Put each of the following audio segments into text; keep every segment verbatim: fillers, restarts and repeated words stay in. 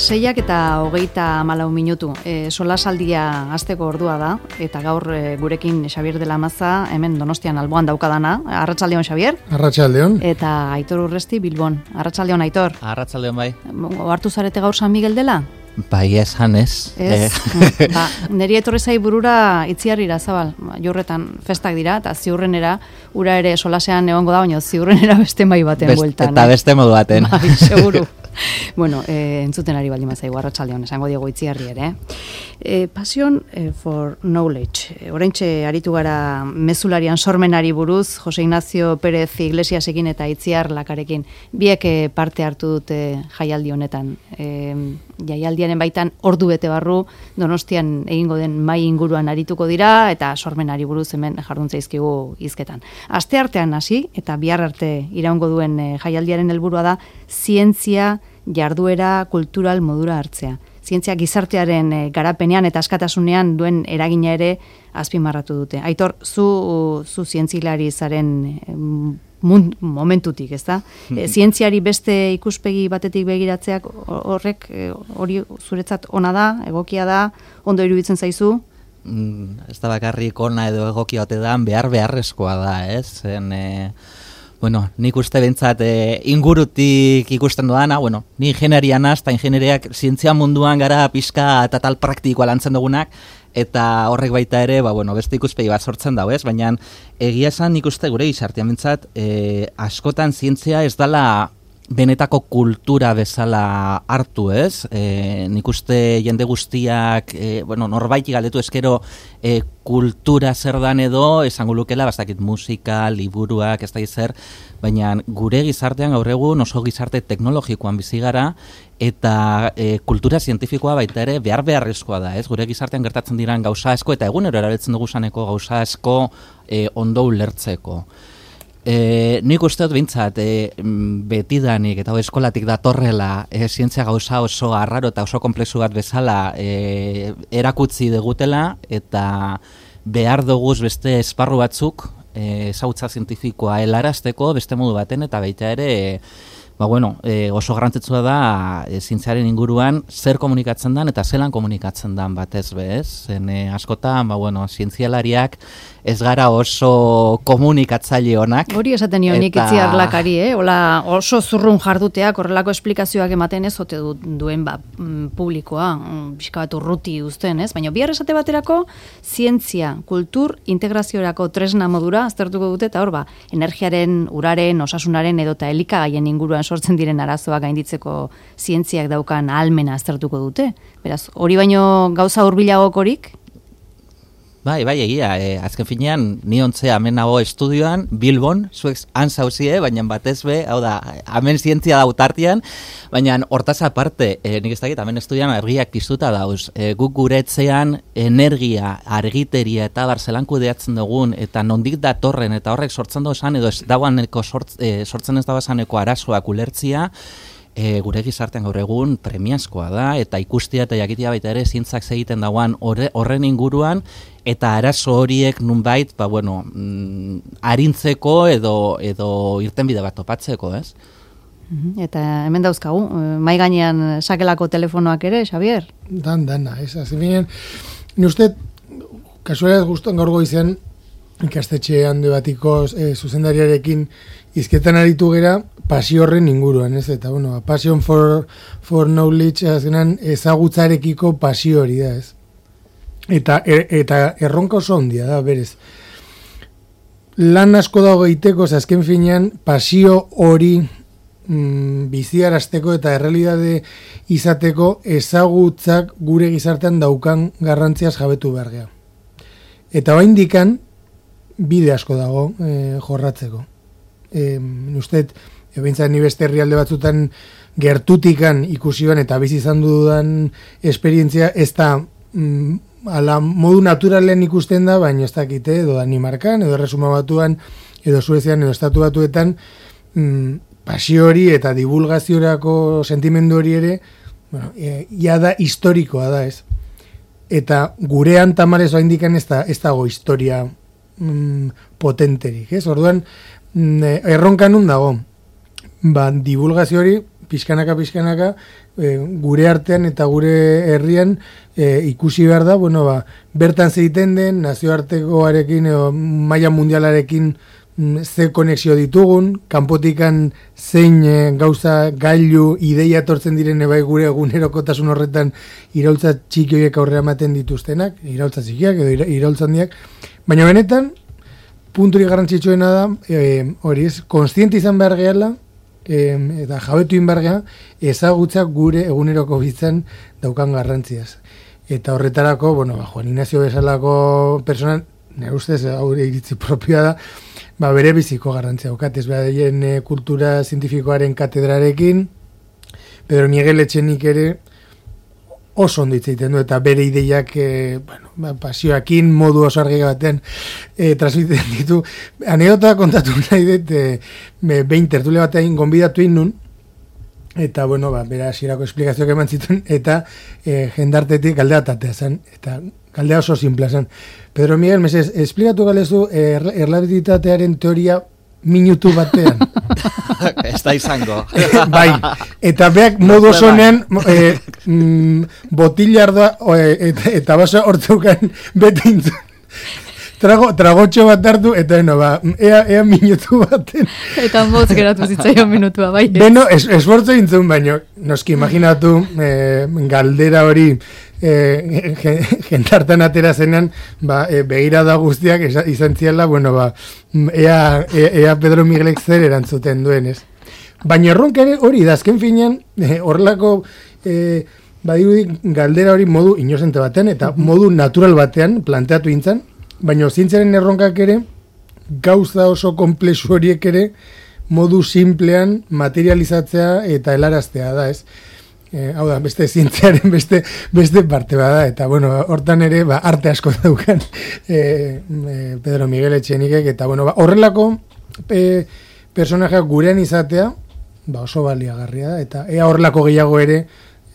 Seiak eta hogeita malau minutu. E, solasaldia hasteko ordua da, eta gaur e, gurekin Xabier de la Maza, hemen Donostian alboan daukadana. Arratsaldeon, Xabier. Arratsaldeon. Eta Aitor Urresti, Bilbon. Arratsaldeon, Aitor. Arratsaldeon, bai. Ohartu zarete gaur San Miguel dela? Bai, esan ez. Ez, eh. ba, niri etorri zai burura Itziarrira Zabal, jorretan festak dira, eta ziurrenera, ura ere solasean egongo da, baina ziurrenera beste mai baten Best, bueltan. Eta beste modu baten. Bai, seguru. Bueno, eh, entzuten ari baldin mazaigu, arratsaldeon, esango diego Itziarri ere. Eh, passion eh, for knowledge. Eh, oraintxe aritu gara mezularian sormenari buruz, Jose Ignacio Pérez Iglesiasekin eta Itziar Lakarekin. Biek eh, parte hartu dute jaialdi honetan. Eh, jaialdiaren baitan ordu bete barru Donostian egingo den mai inguruan arituko dira eta sormenari buruz hemen jarduntza izkigu hizketan. Aste artean hasi eta bihar arte iraungo duen eh, jaialdiaren helburua da zientzia jarduera kultural modura hartzea. Zientzia gizartearen e, garapenean eta askatasunean duen eragina ere azpimarratu dute. Aitor, zu, zu zientzilari zaren e, mund, momentutik, ezta? E, zientziari beste ikuspegi batetik begiratzeak horrek hori zuretzat ona da, egokia da, ondo iruditzen zaizu? Mm, ez da bakarrik ona edo egokia ote da, behar beharrezkoa da, ez? Zen, e... Bueno, nik uste bentsat e, ingurutik ikusten duana, bueno, ni ingenierian naz, eta ingenieriak zientzia munduan gara pixka eta tal praktikoa lantzen dugunak, eta horrek baita ere, ba, bueno, beste ikuspegi bat sortzen dago, ez? Baina egia esan nik uste gure gizartean bentsat, e, askotan zientzia ez dala benetako kultura bezala hartu, ez? E, nik uste jende guztiak, e, bueno, norbaiti galdetu eskero e, kultura zer dan edo, esango lukela, bastakit musika, liburuak, ez da zer, baina gure gizartean gaur egun oso gizarte teknologikoan bizi gara, eta e, kultura zientifikoa baita ere behar beharrezkoa da, ez? Gure gizartean gertatzen diran gauza asko, eta egunero erabiltzen dugu saneko gauza asko e, ondo ulertzeko. E, nik uste dut bintzat, e, betidanik eta eskolatik datorrela e, zientzia gauza oso arraro eta oso komplexu bat bezala e, erakutzi degutela eta behar duguz beste esparru batzuk e, ezautza zientifikoa helarazteko beste modu baten eta baita ere e, ba bueno, e, oso garrantzitsua da e, zientziaren inguruan zer komunikatzen dan eta zelan komunikatzen dan batez bez. Zen e, askotan, ba bueno, zientzialariak ez gara oso komunikatzaile onak. Hori esaten nio nik Itziar Lakari, eh? Ola oso zurrun jarduteak, horrelako esplikazioak ematen ez ote du, duen ba, publikoa, pixka bat urruti uzten, ez? Baina bihar esate baterako zientzia, kultur, integraziorako tresna modura aztertuko dute, eta hor ba, energiaren, uraren, osasunaren edota elikagaien inguruan sortzen diren arazoak gainditzeko zientziak daukan ahalmena aztertuko dute. Beraz, hori baino gauza hurbilagokorik? Bai, bai, egia, e, azken finean, ni ontzea hemen nago estudioan, Bilbon, zuek han zauzie, baina batez be, hau da, hemen zientzia dautartian, baina hortaz aparte, e, nik ez dakit, hemen estudioan argiak piztuta dauz, e, guk guretzean energia, argiteria eta barzelan kudeatzen dugun, eta nondik datorren, eta horrek sortzen dozan, edo ez dauaneko sortz, e, sortzen ez dauazaneko arazoak ulertzia, E, gure gizartean gaur egun premiazkoa da, eta ikustia eta jakitia baita ere zientzak egiten dauan horren inguruan, eta arazo horiek nunbait, ba, bueno, mm, arintzeko edo, edo irtenbide bat topatzeko, ez? Eta hemen dauzkagu, mai gainean sakelako telefonoak ere, Xabier? Dan, dana, ez, aziminen, ni uste, kasualidad guztuan gaur goizean, ikastetxe handi batiko e, zuzendariarekin izketan aritu gera pasio horren inguruan, ez? Eta, bueno, passion for, for knowledge, azkenan ezagutzarekiko pasio hori da, ez? Eta, er, eta erronka oso handia da, berez. Lan asko dago egiteko, azken finean, pasio hori mm, biziarazteko eta errealidade izateko ezagutzak gure gizartean daukan garrantziaz jabetu behar geha. Eta bain dikan, bide asko dago e, jorratzeko. E, Usted, ebintzat ni beste herrialde batzutan gertutikan ikusioan eta bizi izan dudan esperientzia ez da mm, ala modu naturalen ikusten da, baina ez dakite, edo Danimarkan, edo Erresuma Batuan, edo Suezian, edo Estatu Batuetan, mm, pasio hori eta divulgaziorako sentimendu hori ere, bueno, e, ia da historikoa da, ez? Eta gurean tamarez oaindikan ez da, ez dago historia mm, potenterik, ez? Orduan, mm, erronka nun dago, ba, divulgazio hori pixkanaka, pixkanaka, e, gure artean eta gure herrian e, ikusi behar da, bueno, ba, bertan zeiten den, nazioartekoarekin, edo maila mundialarekin ze konexio ditugun, kanpotikan zein e, gauza gailu ideia etortzen diren bai gure egunerokotasun horretan iraultza txiki horiek aurrera ematen dituztenak, iraultza txikiak edo iraultza handiak, baina benetan, punturik garrantzitsuena da, e, hori ez, konstiente izan behar gehala, e, eta jabetu in behar geha, ezagutzak gure eguneroko bizitzan daukan garrantziaz. Eta horretarako, bueno, ba, Juan Ignacio bezalako persona, nire ustez, haure iritzi propioa da, ba, bere biziko garrantzia daukat, ez behaien e, kultura zientifikoaren katedrarekin, Pedro Miguel Etxenik ere oso ondo hitz egiten du, eta bere ideiak e, bueno, ba, pasioakin modu oso argi batean e, transmiten ditu. Anekdota kontatu nahi dut, e, behin tertulia batean gonbidatu nun, eta, bueno, ba, bera hasierako esplikazioak eman zituen, eta e, jendartetik galdea tatea zen, eta galdea oso simplea zen. Pedro Miguel, mesez, esplikatu galezu er, erlabilitatearen teoria minutu batean. Ez da izango. Bai, eta beak modu osonean e, mm, botilarda e, eta, eta baso hortzeukan bete intzun. Trago, tragotxo bat hartu, eta no, ba, ea, ea minutu baten. Eta motz geratu zitzaion minutua, bai. Beno, es, esfortzo intzun, baino, noski imaginatu e, galdera hori e, jentartan atera zenan, ba, e, begirada guztiak izan ziala, bueno, ba, ea, ea, ea Pedro Miguelek zer erantzuten duen, ez. Baina erronka ere hori, dazken finean, e, horrelako... E, badirudi galdera hori modu inozente batean, eta modu natural batean planteatu intzan, baina zientziaren erronkak ere, gauza oso komplexu horiek ere, modu simplean materializatzea eta helaraztea da, ez? E, hau da, beste zientziaren beste, beste parte bada, eta bueno, hortan ere, ba, arte asko daukan e, e, Pedro Miguel Etxenikek, eta bueno, ba, horrelako e, personajeak gurean izatea, ba, oso baliagarria da, eta ea horrelako gehiago ere,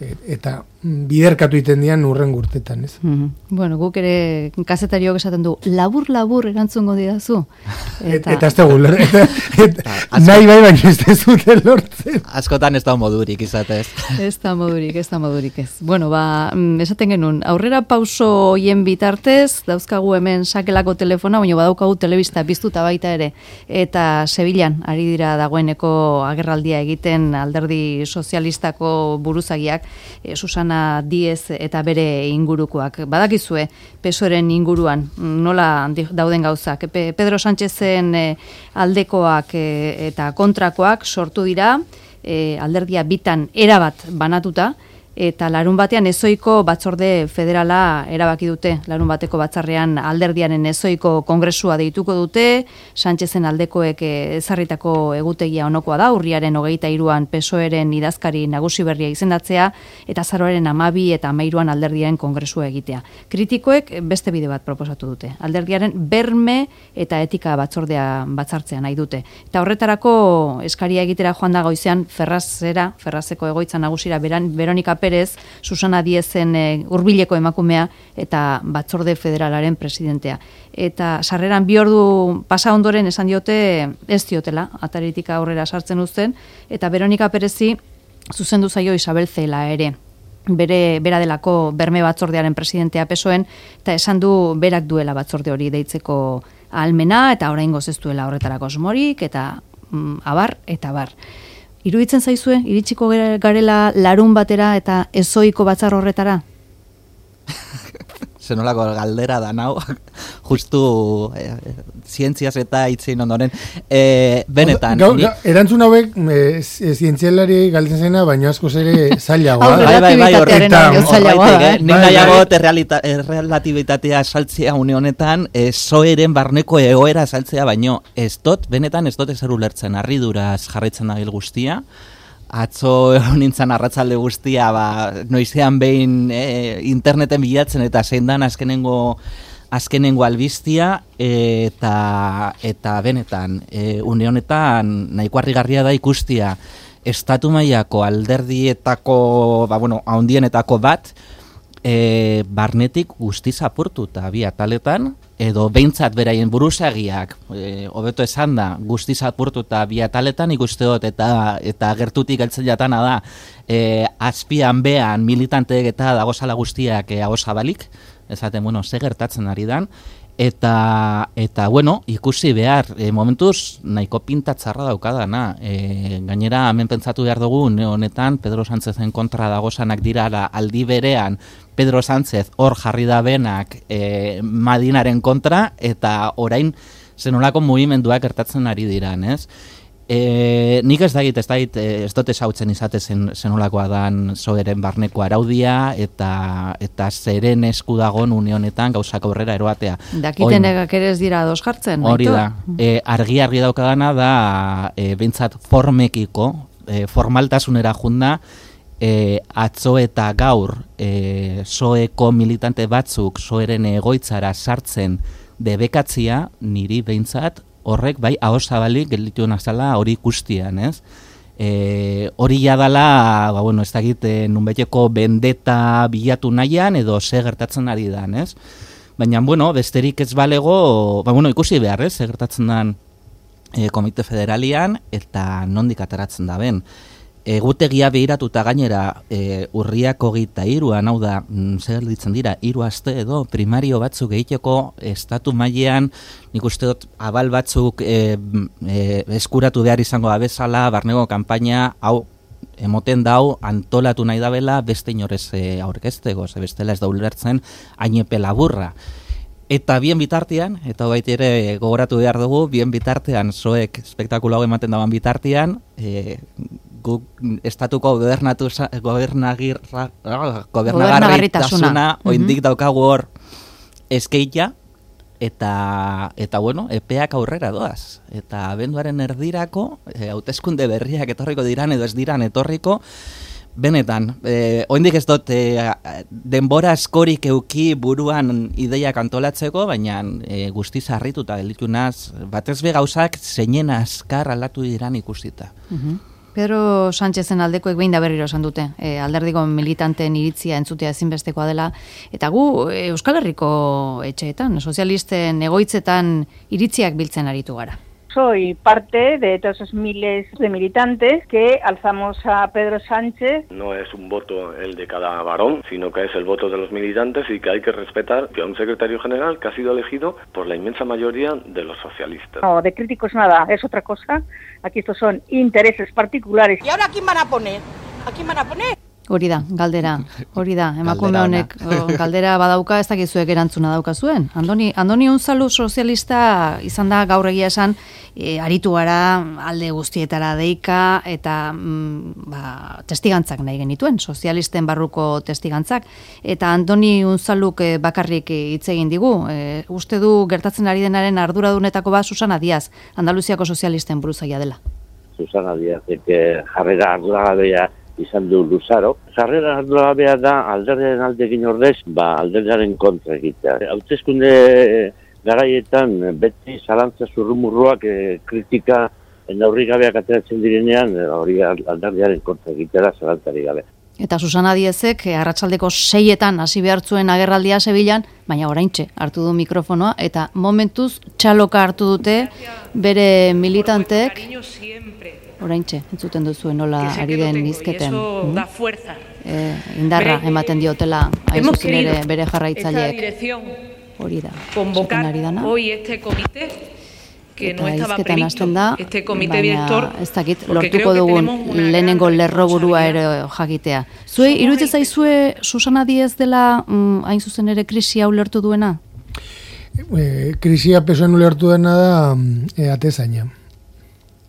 eta biderkatu iten dian urren gurtetan, ez? Mm-hmm. Bueno, guk ere kazetariok esaten du, labur-labur erantzungo didazu. Eta, eta ez da guler, eta, eta nahi bai baina ez da zuten lortzen. Askotan ez da modurik izatez. Ez da modurik, ez da modurik ez. Bueno, ba, esaten genuen, aurrera pauso hoien bitartez, dauzkagu hemen sakelako telefona, baina badaukagu telebista piztuta baita ere, eta Sevillan ari dira dagoeneko agerraldia egiten alderdi sozialistako buruzagiak, e, Susana Díez eta bere ingurukoak. Badakizue, Pesoeren inguruan, nola dauden gauzak. Pedro Sánchezen e, aldekoak e, eta kontrakoak sortu dira, e, alderdia bitan erabat banatuta, eta larun batean ezoiko batzorde federala erabaki dute. Larun bateko batzarrean alderdiaren ezoiko kongresua deituko dute, Sánchezen aldekoek ezarritako egutegia onokoa da, urriaren hogeita hiruan Pesoeren idazkari nagusi berria izendatzea, eta azaroaren hamabi eta hamairuan alderdiaren kongresua egitea. Kritikoek beste bide bat proposatu dute. Alderdiaren berme eta etika batzordea batzartzea nahi dute. Eta horretarako eskaria egitera joan da goizean Ferrazera, Ferrazeko egoitza nagusira beran, Veronika Perez, Susana Díezen e, hurbileko emakumea eta batzorde federalaren presidentea. Eta sarreran bi ordu pasa ondoren esan diote ez diotela, ataritik aurrera sartzen uzten, eta Veronika Perezi zuzendu zaio Isabel Cela ere. Bere, bera delako berme batzordearen presidentea Pesoen, eta esan du berak duela batzorde hori deitzeko ahalmena, eta oraingoz ez duela horretarako asmorik, eta mm, abar, eta abar. Iruditzen zaizue, iritsiko garela larun batera eta ezoiko batzar horretara? Zenolako galdera da nau, justu eh, zientziaz eta itzein ondoren. Eh, benetan. Gau, ni... Erantzun hauek e, zientzialari galtzen zena, baina askoz ere zailagoa. Bai, bai, bai, horretik, nik nahiago bai. errelatibitatea saltzea une honetan, zoeren barneko egoera saltzea, baino ez dut, benetan ez dut ezer ulertzen, harriduraz jarraitzen dabil guztia. Atzo nintzen arratzalde guztia, ba, noizean behin e, interneten bilatzen eta zein dan azkenengo, azkenengo albistia, eta, eta benetan, e, une honetan nahiko harrigarria da ikustia estatu mailako alderdietako, ba, bueno, haundienetako bat, e, barnetik guztiz apurtuta bi ataletan, edo behintzat beraien buruzagiak, e, hobeto esan da, guztiz apurtuta bi ataletan ikuste dut, eta eta gertutik heltzen jatana da, e, azpian behan militanteek eta dagozala guztiak e, agozabalik, ezaten, bueno, ze gertatzen ari dan, eta, eta bueno, ikusi behar, e, momentuz nahiko pintatzarra daukadana, e, gainera hemen pentsatu behar dugu, ne honetan, Pedro Sánchezen kontra dagozanak dirala aldi berean, Pedro Sánchez hor jarri da benak e, Madinaren kontra, eta orain zenolako mugimenduak gertatzen ari diran, ez? E, nik ez dagit, ez dagit, ez dut esautzen izate zen, zenolakoa dan zoeren barneko araudia, eta eta zeren esku dagon une honetan gauzak aurrera eroatea. Dakiten egak ere ez dira ados jartzen, hori da, e, argi-argi daukadana da, e, behintzat formekiko, e, formaltasunera junda, E, atzo eta gaur e, soeko militante batzuk soeren egoitzara sartzen debekatzia, niri behintzat horrek bai ahozabalik gelditu nazala hori ikustian, ez? E, hori jadala, ba, bueno, ez dakit, e, nunbeteko bendeta bilatu nahian edo ze gertatzen ari dan, ez? Baina, bueno, besterik ez balego, ba, bueno, ikusi behar, ez? Ze gertatzen dan e, Komite Federalian eta nondik ateratzen da ben. Egutegia behiratuta gainera e, urriak hogeita hiruan, hau da, zer ditzen dira, hiru aste edo primario batzuk egiteko estatu mailean, nik uste dut abal batzuk e, e, eskuratu behar izango da bezala, barnego kanpaina, hau, emoten dau, antolatu nahi dabela, beste inorez e, aurkeztego, ze bestela ez da ulertzen, ainepe laburra. Eta bien bitartean, eta baita ere gogoratu behar dugu, bien bitartean, zoek espektakulo hau ematen dagoen bitartean, e, guk estatuko gobernagarritasuna oindik daukagu hor eskeita, eta, eta bueno, epeak aurrera doaz. Eta abenduaren erdirako, e, hauteskunde berriak etorriko diran edo ez diran etorriko, benetan, e, oindik ez dut e, denbora askorik euki buruan ideiak antolatzeko, baina e, guztiz harrituta gelitunaz, batez be gauzak zeinen azkar aldatu diran ikusita. Uh-huh. Pedro Sánchezen aldekoek behin da berriro esan dute, e, alderdiko militanteen iritzia entzutea ezinbestekoa dela, eta gu e, Euskal Herriko etxeetan, sozialisten egoitzetan iritziak biltzen aritu gara. Soy parte de todos esos miles de militantes que alzamos a Pedro Sánchez. No es un voto el de cada varón, sino que es el voto de los militantes y que hay que respetar a un secretario general que ha sido elegido por la inmensa mayoría de los socialistas. No, de críticos nada, es otra cosa. Aquí estos son intereses particulares. ¿Y ahora a quién van a poner? ¿A quién van a poner? Hori da, galdera, hori da, emakume honek galdera badauka, ez dakizuek erantzuna dauka zuen. Andoni, Andoni Unzalu sozialista izan da gaur egia esan, e, aritu gara alde guztietara deika, eta mm, ba, testigantzak nahi genituen, sozialisten barruko testigantzak. Eta Andoni Unzaluk e, bakarrik hitz egin digu, e, uste du gertatzen ari denaren arduradunetako bat Susana Díaz, Andaluziako sozialisten buruzagia dela. Susana Díaz, que jarrera arduragabea izan du luzaro. Jarrera arduragabea da alderdiaren aldekin ordez, ba alderdiaren kontra egitea. Hauteskunde garaietan beti zalantza zurrumurruak e, kritika neurri gabeak ateratzen direnean, hori alderdiaren kontra egitea da zalantzari gabe. Eta Susana Diezek arratsaldeko seietan hasi behar zuen agerraldia Sevillan, baina oraintxe hartu du mikrofonoa eta momentuz txaloka hartu dute bere militanteek. Oraintxe, entzuten duzuen nola ari den hizketen. E, indarra ematen diotela hain zuzen ere bere jarraitzaileek. Hori da, convocar hoy este comité que no estaba previsto, este comité director, ez dakit, lortuko dugun lehenengo lerroburua ere jakitea. Zuei, iruditzen zaizue Susana Díez dela mm, hain zuzen ere krisia ulertu duena? E, krisia pesoen ulertu duena da e, atezaina.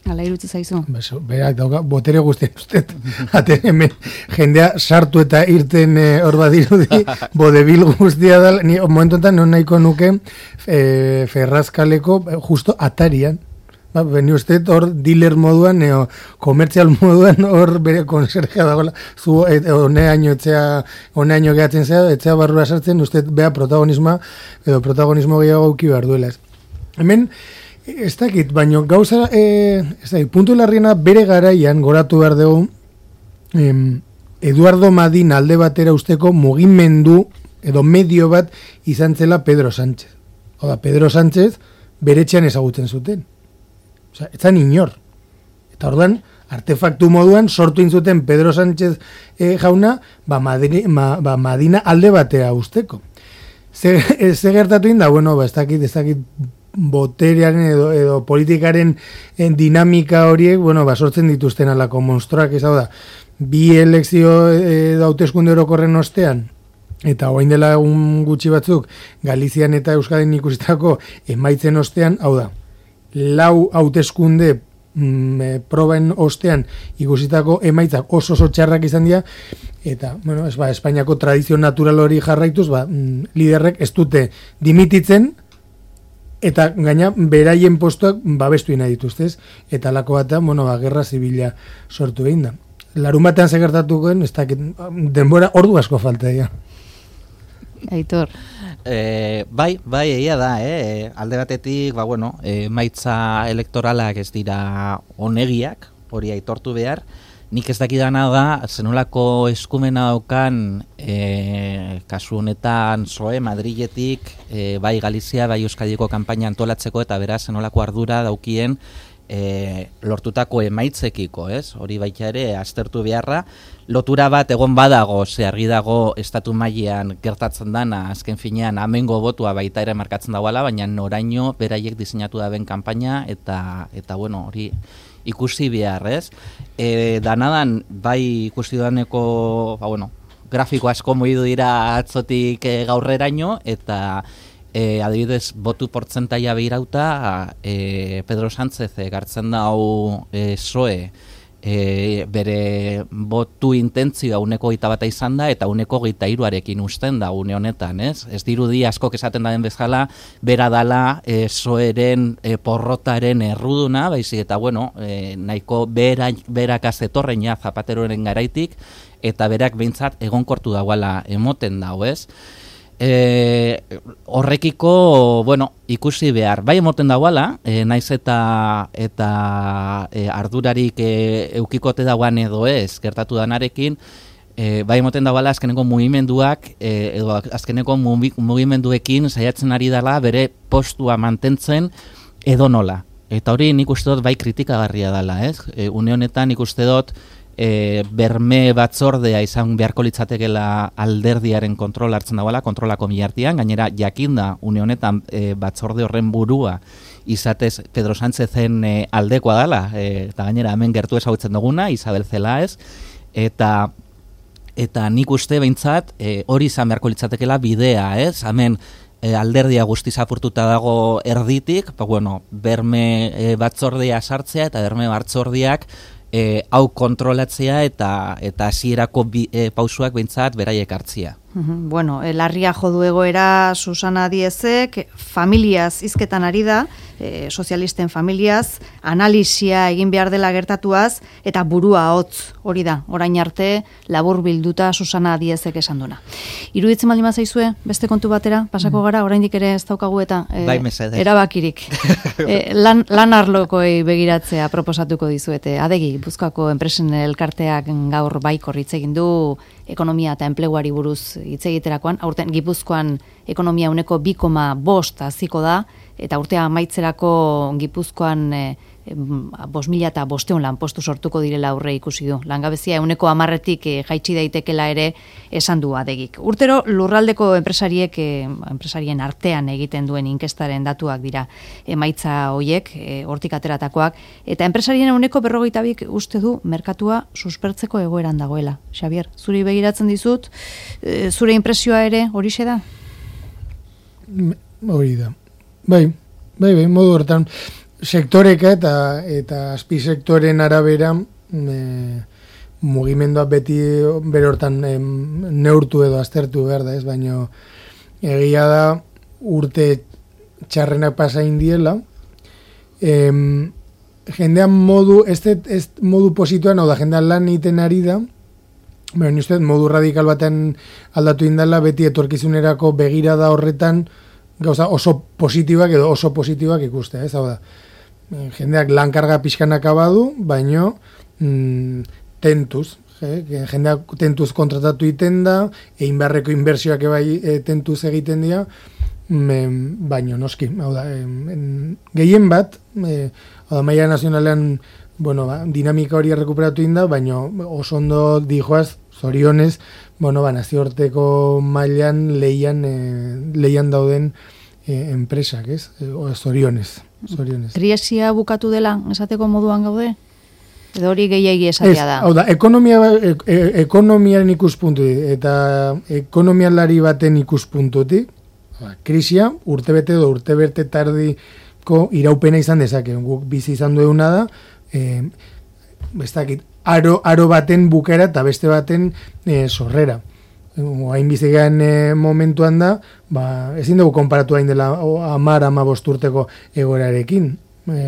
Hala iruditzen zaizu? Beso, berak dauka, botere guztien ustet, ate hemen jendea sartu eta irten hor e, badirudi, bodebil guztia da, ni momentuetan non nahiko nuke e, Ferrazkaleko justo atarian, ba, beni ustet hor dealer moduan, neo, komertzial moduan hor bere konserja dagoela, zu e, honeaino etzea, honeaino gehatzen zea, etzea barrura sartzen, ustet bea protagonismoa, edo protagonismo gehiago auki behar duela. Hemen, ez dakit, baino gauza, e, ez dakit, puntu larriena bere garaian goratu behar dugu, em, Eduardo Madin alde batera usteko mugimendu edo medio bat izan zela Pedro Sánchez. Hau da, Pedro Sánchez beretxean ezagutzen zuten. Osea, etzan inor. Eta orduan, artefaktu moduan sortu intzuten Pedro Sánchez eh, jauna, ba, Madri, ma, ba, Madina alde batea usteko. Ze, ze gertatu inda, bueno, ba, ez dakit, ez dakit boterearen edo, edo politikaren en, dinamika horiek, bueno, ba, sortzen dituzten alako monstruak, ez hau da, bi elekzio edo hauteskunde orokorren ostean, eta orain dela un gutxi batzuk, Galizian eta Euskadin ikusitako emaitzen ostean, hau da, lau hauteskunde mm, proben ostean ikusitako emaitzak oso oso txarrak izan dira, eta, bueno, ez ba, Espainiako tradizio natural hori jarraituz, ba, mm, liderrek ez dute dimititzen, eta gaina beraien postuak babestu nahi dituztez, eta lako bat, bueno, ba, gerra zibila sortu egin da. Larun batean segertatukoen, ez dakit, denbora ordu asko falta dira. Aitor. E, bai, bai, egia da, eh? Alde batetik, ba, bueno, e, maitza elektoralak ez dira onegiak, hori aitortu behar. Nik ez dakidana da, zenolako eskumena daukan, e, kasu honetan, P S O E, Madriletik, e, bai Galizia, bai Euskadiko kanpaina antolatzeko, eta beraz, zenolako ardura daukien e, lortutako emaitzekiko, ez? Hori baita ere, aztertu beharra, lotura bat egon badago, ze argi dago estatu mailean gertatzen dana, azken finean, amengo botua baita ere markatzen dagoela, baina noraino beraiek diseinatu da ben kanpaina, eta, eta bueno, hori ikusi behar, ez? E, danadan, bai ikusi daneko, ba, bueno, grafiko asko moidu dira atzotik e, gaurreraino, eta e, adibidez, botu portzentaia behirauta, e, Pedro Sánchez gartzen dau e, P S O E, E, bere botu intentzioa uneko gita bata izan da, eta uneko gita iruarekin usten da une honetan, ez? Ez dirudi askok esaten daden bezala, bera dala e, P S O E-ren e, porrotaren erruduna, baizik eta, bueno, e, nahiko bera, berakaz etorren ja Zapateroren garaitik, eta berak behintzat egonkortu dagoela emoten dago, ez? E, horrekiko, bueno, ikusi behar. Bai emoten dagoela, e, naiz eta eta e, ardurarik e, eukikote dagoan edo ez, gertatu danarekin, e, bai emoten dagoela azkeneko mugimenduak, e, edo azkeneko mugimenduekin saiatzen ari dela bere postua mantentzen edo nola. Eta hori nik uste dut bai kritikagarria dela, ez? E, une honetan nik uste dut E, berme batzordea izan beharko litzatekela alderdiaren kontrol hartzen dagoela, kontrolako milartian, gainera jakinda une honetan e, batzorde horren burua izatez Pedro Sánchezen e, aldekoa dela, e, eta gainera hemen gertu ezagutzen duguna, Isabel Celaez, eta eta nik uste behintzat e, hori izan beharko litzatekela bidea, ez? Hemen e, alderdia guztiz apurtuta dago erditik, pa, bueno, berme e, batzordea sartzea eta berme batzordeak E, hau kontrolatzea eta eta hasierako e, pausuak behintzat beraiek hartzia. Bueno, larria jodu egoera Susana Diezek, familiaz hizketan ari da, e, sozialisten familiaz, analisia egin behar dela gertatuaz, eta burua hotz hori da, orain arte labur bilduta Susana Diezek esan duna. Iruditzen baldin bazaizue, beste kontu batera, pasako gara, oraindik ere ez daukagu eta e, bai, erabakirik. e, lan, lan arlokoi begiratzea proposatuko dizuete. Adegi, Gipuzkoako enpresen elkarteak gaur baikor hitz egin du ekonomia eta enpleguari buruz hitz egiterakoan, aurten Gipuzkoan ekonomia uneko bi koma bost haziko da, eta urtea amaitzerako Gipuzkoan e, bost mila eta bosteun lanpostu sortuko direla aurre ikusi du. Langabezia uneko hamarretik e, jaitsi daitekela ere esan du Adegik. Urtero lurraldeko enpresariek, e, enpresarien artean egiten duen inkestaren datuak dira emaitza hoiek, e, hortik ateratakoak, eta enpresarien uneko berrogeita bik uste du merkatua suspertzeko egoeran dagoela. Xabier, zuri begiratzen dizut, e, zure impresioa ere horixe da? Hori da. Bai, bai, bai, modu hortan, sektoreka eta eta azpisektoren arabera e, mugimendua beti bere hortan e, neurtu edo aztertu behar da, ez, baina egia da urte txarrenak pasa indiela, e, jendean modu, ez, ez modu posituan, hau da, jendean lan iten ari da, baina uste, modu radikal baten aldatu indala, beti etorkizunerako begirada horretan, gauza oso positibak edo oso positibak ikustea, ez, hau da, jendeak lankarga pixkanak abadu, baino mm, tentuz, je, jendeak tentuz kontratatu iten da, egin beharreko inbertsioak ebai e, tentuz egiten dira, baino noski, hau da, gehien bat, e, hau da, maila nazionalean, bueno, ba, dinamika hori errekuperatu inda, baino oso ondo dijoaz, zorionez, bueno, ba, nazioarteko mailan leian, e, leian dauden e, enpresak, ez? E, zorionez, zorionez. Kriesia bukatu dela, esateko moduan gaude? Edo hori gehiagi esatea da? Hau da, ekonomia, e, e, ekonomiaren ikuspuntutik eta ekonomialari baten ikuspuntutik, krisia urtebete edo urtebete tardiko iraupena izan dezake. Guk bizi izan duena da, e, bestakit, aro, aro baten bukera eta beste baten e, sorrera. Hain bizigean e, momentuan da, ba, ezin dugu konparatu hain dela amar, ama bosturteko egorarekin. E,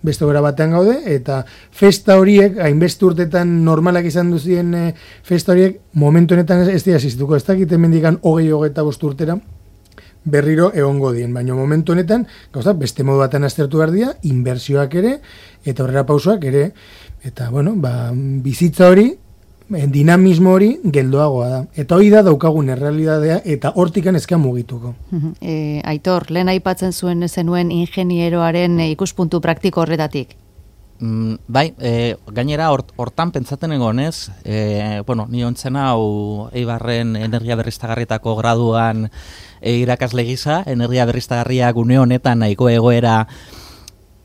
beste gora batean gaude, eta festa horiek, hainbeste urtetan normalak izan duzien e, festa horiek, momentu honetan ez dira existuko. Ez dakit hemendikan hogei hogeita bost urtera, berriro egongo dien, baina momentu honetan, gauza, beste modu batean aztertu behar dira, inbertsioak ere, eta horrela pausoak ere, eta, bueno, ba, bizitza hori, dinamismo hori geldoagoa da. Eta hori da daukagun errealidadea, eta hortikan ezkean mugituko. E, Aitor, lehen aipatzen zuen zenuen ingenieroaren ikuspuntu praktiko horretatik? Mm, bai, e, gainera hortan pentsaten egonez, e, bueno, ni ontzen hau Eibarren energia berriztagarrietako graduan e, irakasle gisa, energia berriztagarriak une honetan nahiko egoera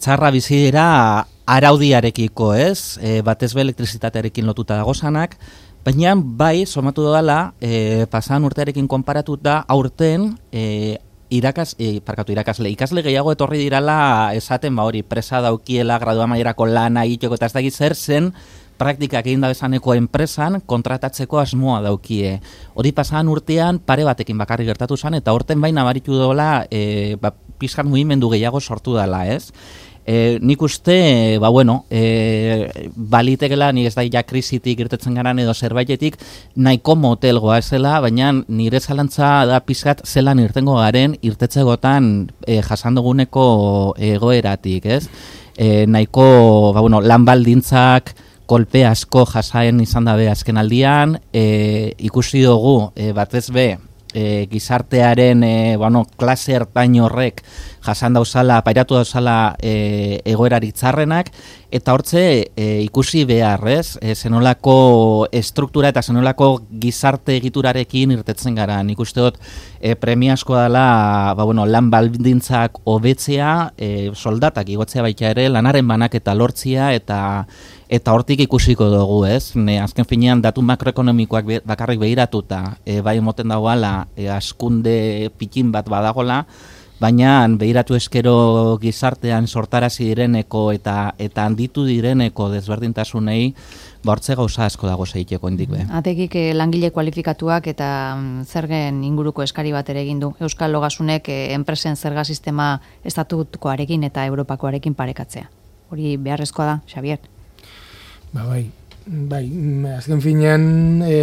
txarra bizi dira araudiarekiko, ez? E, batez be elektrizitatearekin lotuta dagozanak, baina bai, somatu dela, e, pasan urtearekin konparatuta, aurten e, irakas, e, parkatu irakasle, ikasle gehiago etorri dirala esaten ba hori, presa daukiela, gradua maierako lana egiteko eta ez dakit zer zen, praktikak egin da bezaneko enpresan kontratatzeko asmoa daukie. Hori pasan urtean pare batekin bakarrik gertatu zen, eta horten baina baritu dola e, ba, pizkan mugimendu gehiago sortu dela, ez? E, nik uste, ba bueno, e, balitekela, nik ez da ja krisitik irtetzen garan edo zerbaitetik, nahiko motelgoa ezela, baina nire zalantza da pizkat zelan irtengo garen irtetzegotan e, jasandoguneko egoeratik, ez? E, nahiko, ba bueno, lan baldintzak, kolpe asko jasaen izan dabe azken aldian, e, ikusi dugu, e, batez be, E, gizartearen e, bueno, klase ertain horrek jasan dauzala, pairatu dauzala e, egoerari txarrenak, eta hortze e, ikusi beharrez, e, zenolako estruktura eta zenolako gizarte egiturarekin irtetzen gara. Nik uste dut e, premiazko dela ba, bueno, lan baldintzak hobetzea, e, soldatak igotzea baita ere, lanaren banak eta lortzia, eta eta hortik ikusiko dugu, ez? Ne, azken finean datu makroekonomikoak be, bakarrik behiratuta, e, bai moten dagoela, e, askunde pikin bat badagola, baina behiratu eskero gizartean sortarazi direneko eta eta handitu direneko desberdintasunei, bortze gauza asko dago zeiteko indik be. Atekik eh, langile kualifikatuak eta mm, zergen inguruko eskari bat ere egin du. Euskal Logasunek eh, enpresen zerga sistema estatutukoarekin eta Europakoarekin parekatzea. Hori beharrezkoa da, Xabier? Ba, bai, bai, azken finean e,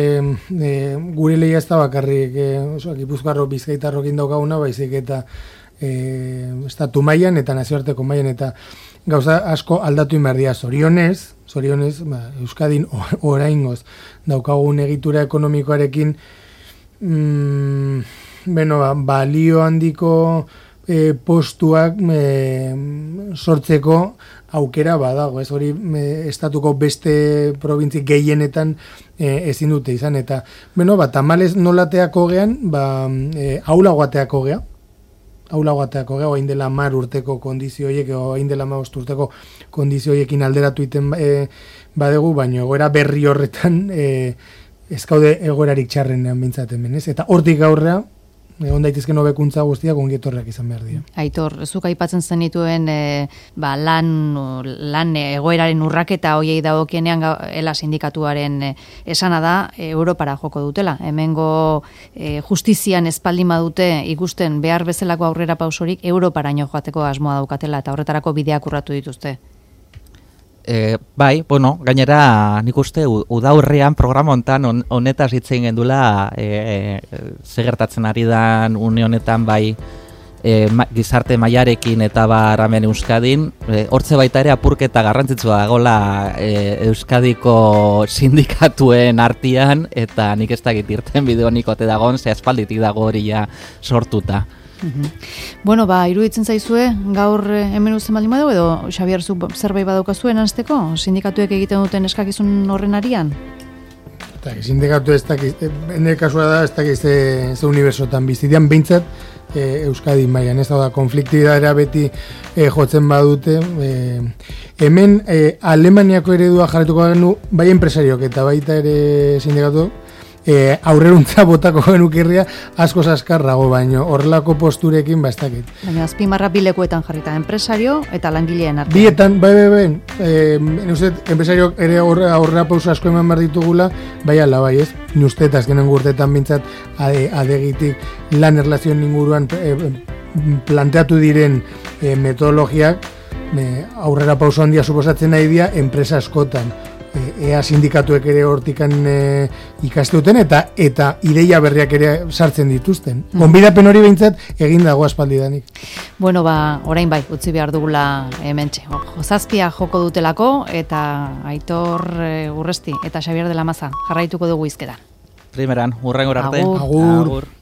e, gure lehia ez da bakarrik, e, oso, Gipuzkoarro Bizkaitarrokin daukaguna, baizik eta e, estatu mailan eta nazioarteko mailan eta gauza asko aldatu inberdia. Zorionez, zorionez, ba, Euskadin oraingoz daukagun egitura ekonomikoarekin mm, bueno, ba, balio handiko e, postuak e, sortzeko aukera badago, ez hori e, estatuko beste probintzi gehienetan e, ezin dute izan, eta, bueno, ba, tamales nolateako gean, ba, e, aulagoateako gea, aulagoateako gea, oain dela mar urteko kondizioiek, oain dela ma urteko kondizioiekin alderatu iten e, badegu, baina egoera berri horretan e, ezkaude egoerarik txarrenean bintzaten benez, eta hortik aurrea, egon daitezken hobekuntza guztiak ongietorrak izan behar dira. Aitor, zuk aipatzen zenituen e, ba, lan, lan egoeraren urraketa hoiei dagokienean ela sindikatuaren e, esana da e, Europara joko dutela. Hemengo e, justizian espaldin badute ikusten behar bezalako aurrera pausorik Europaraino joateko asmoa daukatela eta horretarako bideak urratu dituzte. E, bai, bueno, gainera nik uste udaurrean programa hontan on, honetaz hitz egin gendula e, e, ze gertatzen ari dan une honetan bai e, ma, gizarte mailarekin eta bar hemen Euskadin, e, hortze baita ere apurketa garrantzitsua dagoela e, Euskadiko sindikatuen artean eta nik ez dakit irten bideo nik ote dagoen, ze aspalditik dago hori ja sortuta. Uh-huh. Bueno, ba, iruditzen zaizue, gaur hemen uzten baldin badu, edo Xabier, zu zerbait badaukazuen anzteko, sindikatuek egiten duten eskakizun horren arian? Eta, sindikatu ez dakiz, ene kasua da, ez dakiz ze, ze unibersotan bizitian, behintzat, e, Euskadi mailan, ez da, konfliktidadera beti e, jotzen badute. E, hemen, e, Alemaniako eredua jarretuko genu, bai enpresariok eta baita ere sindikatu, e, aurreruntza botako genukirria asko azkarrago, baino horrelako posturekin bastakit. Baina azpimarra bilekuetan jarrita, enpresario eta langileen artean. Bietan, bai, bai, bai, e, nuzet, enpresariok ere aurrera pauso asko eman behar ditugula, bai ala, bai, ez? Nuztet, azkenen gurtetan bintzat ade, adegitik lan erlazioen inguruan e, planteatu diren e, metodologiak e, aurrera pauso handia suposatzen nahi dira enpresa askotan. Ea sindikatuek ere hortikan e, ikaste duten eta eta ideia berriak ere sartzen dituzten. Gonbidapen hori behintzat egin dago aspaldidanik. Bueno, ba, orain bai, utzi behar dugula hementxe. Zazpia joko dutelako eta Aitor e, Urresti eta Xabier de la Maza jarraituko dugu hizketan. Primeran, hurrengor arte. Agur. Agur. Agur.